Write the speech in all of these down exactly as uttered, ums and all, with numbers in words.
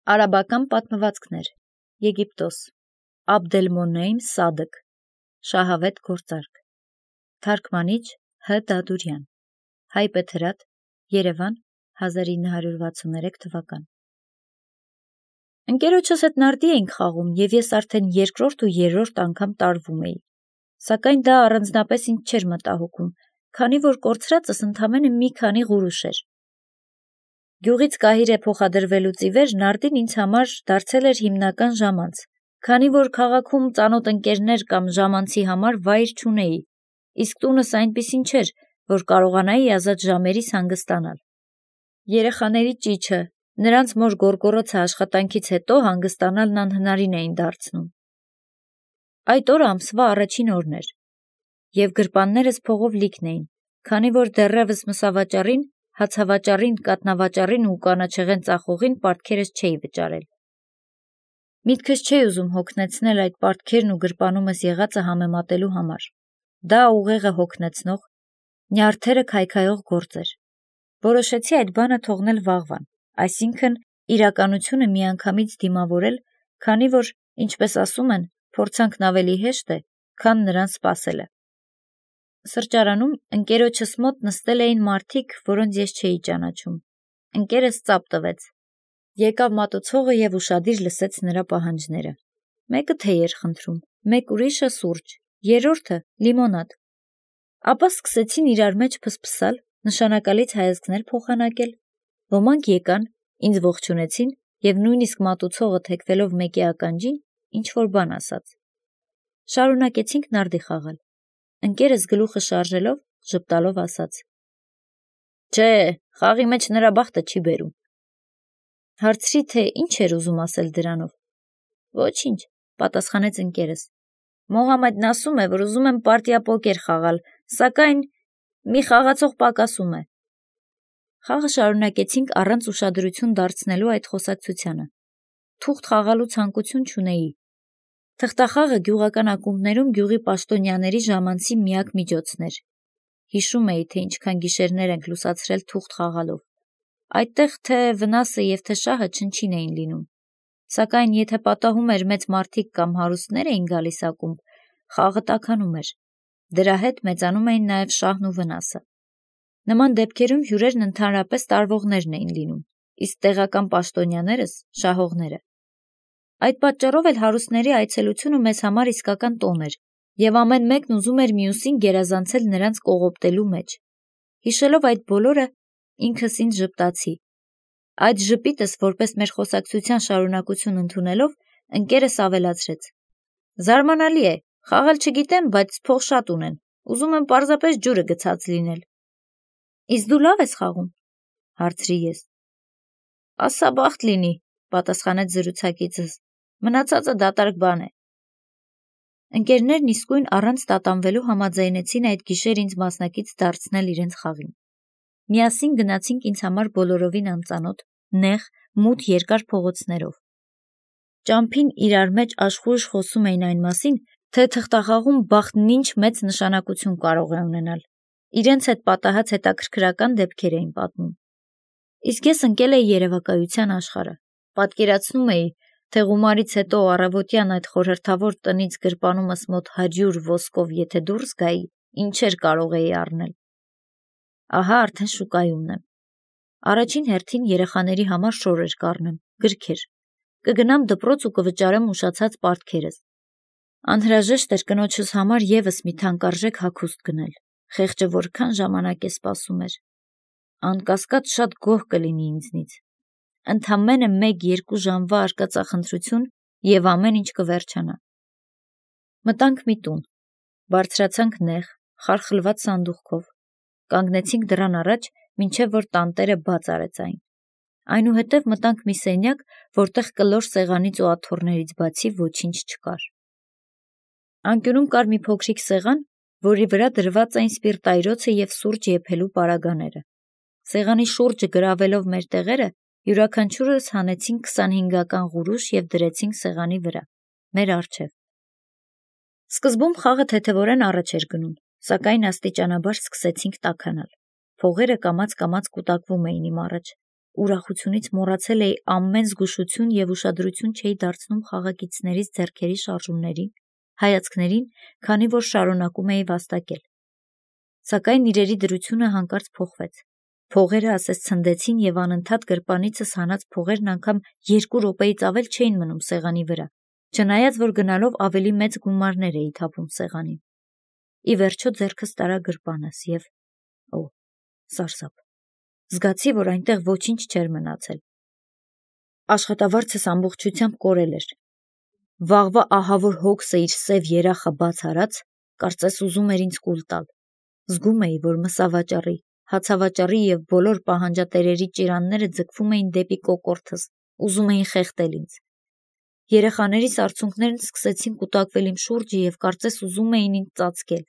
Արաբական պատմվածքներ, Եգիպտոս, Աբդելմոնեյմ Սադկ, Շահավետ գործարք, Թարգմանիչ Հ. Դադուրյան, Հայբեթ Հրատ, Երևան, հազար ինը հարյուր վաթսուններեք թվական։ Ընկերոջս հետ նարդի էինք խաղում, և ես արդեն երկրորդ ու երրորդ անգամ տարվում էի, սակայն դա առանձնապես ինձ չէր մտահոգում, քանի որ կորցրածս ընդամենը մի քանի ղուրուշ էր։ Գյուղից Կահիրե փոխադրվելուց ի վեր նարդին ինձ համար դարձել էր հիմնական ժամանց, քանի որ քաղաքում ծանոթ ընկերներ կամ ժամանցի համար վայր չունեի, իսկ տունս այնպիսին չէր, որ կարողանայի ազատ ժամերիս հանգստանալ։ Երեխաների ճիչը, նրանց մոր գոռգոռոցը աշխատանքից հետո հանգստանալն անհնարին էին դարձնում։ Այդ օրը ամսվա առաջին օրն էր, և գրպաններս փողով լիքն էին, քանի որ դեռևս մսավաճառին, հացավաճառին, կաթնավաճառին ու կանաչեղեն ծախողին պարտքերս չէի վճարել։ Միտքս չէի ուզում հոգնեցնել այդ պարտքերն ու գրպանումս եղածը համեմատելու համար։ Դա ուղեղը հոգնեցնող, նյարդերը քայքայող գործ էր։ Որոշեցի այդ բանը թողնել վաղվան, այսինքն իրականությունը միանգամից դիմավորել, քանի որ, ինչպես ասում են, փորձանքն ավելի հեշտ է, քան նրան սպասելը։ Սրճարանում ընկերոջս մոտ նստել էին մարդիկ, որոնց ես չէի ճանաչում։ Ընկերս ծափ տվեց։ Եկավ մատուցողը և ուշադիր լսեց նրա պահանջները։ Մեկը թեյ էր խնդրում, մեկ ուրիշը սուրճ, երրորդը լիմոնադ։ Ապա սկսեցին իրար մեջ փսփսալ, նշանակալից հայացքներ փոխանակել։ Ոմանք եկան, ինձ ողջունեցին և նույնիսկ մատուցողը թեքվելով մեկի ականջին, ինչ-որ բան ասաց։ Շարունակեցինք նարդի խաղալ։ Ընկերս գլուխը շարժելով, ժպտալով ասաց. «Չէ, խաղի մեջ նրա բախտը չի բերում»։ Հարցրի, թե ինչ էր ուզում ասել դրանով։ «Ոչինչ», պատասխանեց ընկերս։ «Մոհամեդն ասում է, որ ուզում եմ պարտիա պոկեր խաղալ, սակայն մի խաղացող պակասում է»։ Խաղը շարունակեցինք առանց ուշադրություն դարձնելու այդ խոսակցությանը։ Թուղթ խաղալու ցանկություն չունեի։ Թղթախաղը գյուղական ակումբներում գյուղի պաշտոնյաների ժամանցի միակ միջոցն էր։ Հիշում էի, թե ինչքան գիշերներ ենք լուսացրել թուղթ խաղալով։ Այդտեղ թե վնասը և թե շահը չնչին էին լինում։ Սակայն եթե պատահում էր մեծ մարդիկ կամ հարուստներ էին գալիս ակումբ, խաղը տաքանում էր։ Դրա հետ մեծանում էին նաև շահն ու վնասը։ Նման դեպքերում հյուրերն ընդհանրապես տարվողներն էին լինում, իսկ տեղական պաշտոնյաներս՝ շահողները։ Այդ պատճառով էլ հարուստների այցելությունը մեզ համար իսկական տոն էր, և ամեն մեկն ուզում էր մյուսին գերազանցել նրանց կողոպտելու մեջ։ Հիշելով այդ բոլորը, ինքս ինձ ժպտացի։ Այդ ժպիտս որպես մեր խոսակցության շարունակություն ընդունելով, ընկերս ավելացրեց. «Զարմանալի է, խաղալ չգիտեմ, բայց փող շատ ունեն, ուզում եմ պարզապես ջուրը գցած լինել»։ «Իսկ դու լավ ես խաղում»։ Հարցրի ես։ «Ասա բախտ լինի», պատասխանեց զրուցակիցս, «մնացածը դատարկ բան է»։ Ընկերներն իսկույն առանց տատանվելու համաձայնեցին այդ գիշեր ինձ մասնակից դարձնել իրենց խաղին։ Միասին գնացինք ինձ համար բոլորովին անծանոթ, նեղ, մութ երկար փողոցներով։ Ճամփին իրար մեջ աշխույժ խոսում էին այն մասին, թե թղթախաղում բախտն ինչ մեծ նշանակություն կարող է ունենալ։ Իրենց հետ պատահած հետաքրքրական դեպքեր էին պատմում։ Իսկ ես ընկել էի երևակայության աշխարհը։ Պատկերացնում էի, թե գումարից հետո առավոտյան այդ խորհրդավոր տնից գրպանումս մոտ հարյուր ոսկով եթե դուրս գայի, ինչեր կարող էի առնել։ Ահա արդեն շուկայումն եմ։ Առաջին հերթին երեխաների համար շորեր կառնեմ, գրքեր։ Կգնամ դպրոց ու կվճարեմ ուշացած պարտքերս։ Անհրաժեշտ էր կնոջս համար ևս մի թանկարժեք հագուստ գնել։ Խեղճը որքան ժամանակ է սպասում էր։ Անկասկած շատ գոհ կլինի ինձնից։ Ընդամենը մեկ-երկու ժամվա արկածախնդրություն, և ամեն ինչ կվերջանա։ Մտանք մի տուն։ Բարձրացանք նեղ, խարխլված սանդուղքով։ Կանգնեցինք դռան առաջ, մինչև որ տանտերը բաց արեց այն։ Այնուհետև մտանք մի սենյակ, որտեղ կլոր սեղանից ու աթոռներից բացի ոչինչ չկար։ Անկյունում կար մի փոքրիկ սեղան, որի վրա դրված էին սպիրտայրոցը և սուրճ եփելու պարագաները։ Սեղանի շուրջը գրավելով մեր տեղերը, յուրաքանչյուրս հանեցինք քսանհինգական ղուրուշ և դրեցինք սեղանի վրա, մեր առջև։ Սկզբում խաղը թեթևորեն առաջ էր գնում, սակայն աստիճանաբար սկսեցինք տաքանալ։ Փողերը կամաց-կամաց կուտակվում էին իմ առաջ։ ուրախությունից մոռացել էի ամեն զգուշություն և ուշադրություն չէի դարձնում խաղակիցներիս ձեռքերի շարժումներին, հայացքներին, քանի որ շարունակում էի վաստակել։ Սակայն իրերի դրությունը հանկարծ փոխվեց։ Փողերը ասես ցնդեցին և անընդհատ գրպանիցս հանած փողերն անգամ երկու րոպեից ավել չէին մնում սեղանի վրա, չնայած որ գնալով ավելի մեծ գումարներ էի թափում սեղանին։ Ի վերջո ձեռքս տարա գրպանս և օ, սարսափ։ Զգացի, որ այնտեղ ոչինչ չէր մնացել։ Աշխատավարձս ամբողջությամբ կորել էր։ Վաղվա ահավոր հոգսը իր սև երախը բաց արած, կարծես ուզում էր ինձ կուլ տալ։ Զգում էի, որ մսավաճառի, հացավաճառի և բոլոր պահանջատերերի ճիրանները ձգվում էին դեպի կոկորդս, ուզում էին խեղդել ինձ։ Երեխաներիս արցունքներն սկսեցին կուտակվել իմ շուրջը և կարծես ուզում էին ինձ ծածկել։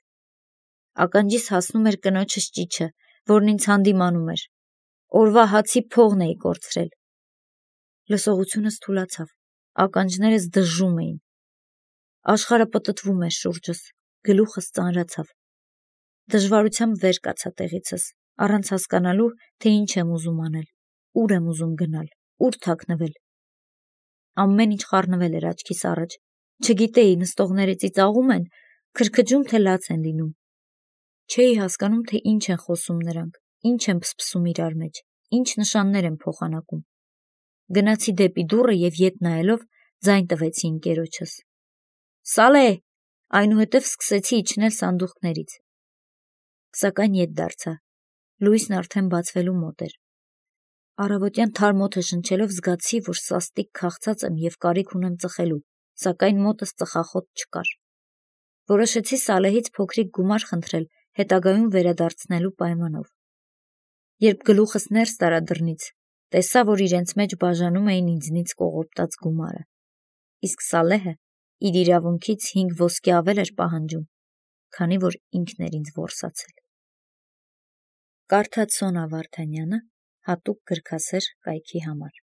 Ականջիս հասնում էր կնոջս ճիչը, որն ինձ հանդիմանում էր։ Օրվա հացի փողն էի կորցրել։ Լսողությունս թուլացավ, ականջներս դժում էին։ Աշխարհը պտտվում էր շուրջս, գլուխս ծանրացավ։ Դժվարությամբ վեր կացա տեղիցս, առանց հասկանալու, թե ինչ եմ ուզում անել, ուր եմ ուզում գնալ, ուր թաքնվել։ Ամեն ինչ խառնվել էր աչքիս առաջ, չգիտեի նստողները ծիծաղում են, քրքջում, թե լաց են լինում։ Չէի հասկանում, թե ինչ են խոսում նրանք, ինչ են փսփսում իրար մեջ, ինչ նշաններ են փոխանակում։ Գնացի դեպի դուռը և ետ նայելով ձայն տվեցի ընկերոջս։ Սալե, այնուհետև սկսեցի իջնել սանդուղքներից։ Սակայն ետ դարձա։ Լույսն արդեն բացվելու մոտ էր։ Առավոտյան թարմ օդը շնչելով զգացի, որ սաստիկ քաղցած եմ և կարիք ունեմ ծխելու, սակայն մոտս ծխախոտ չկար։ Որոշեցի Սալեհից փոքրիկ գումար խնդրել հետագայում վերադարձնելու պայմանով։ Երբ գլուխս ներս տարա դռնից, տեսա, որ իրենց մեջ բաժանում էին ինձնից կողոպտած գումարը։ Իսկ Սալեհը իր իրավունքից հինգ ոսկե ավել էր պահանջում, քանի որ ինքն էր ինձ որսացել։ Կարդաց Սոնա Վարդանյանը հատուկ գրքասեր կայքի համար։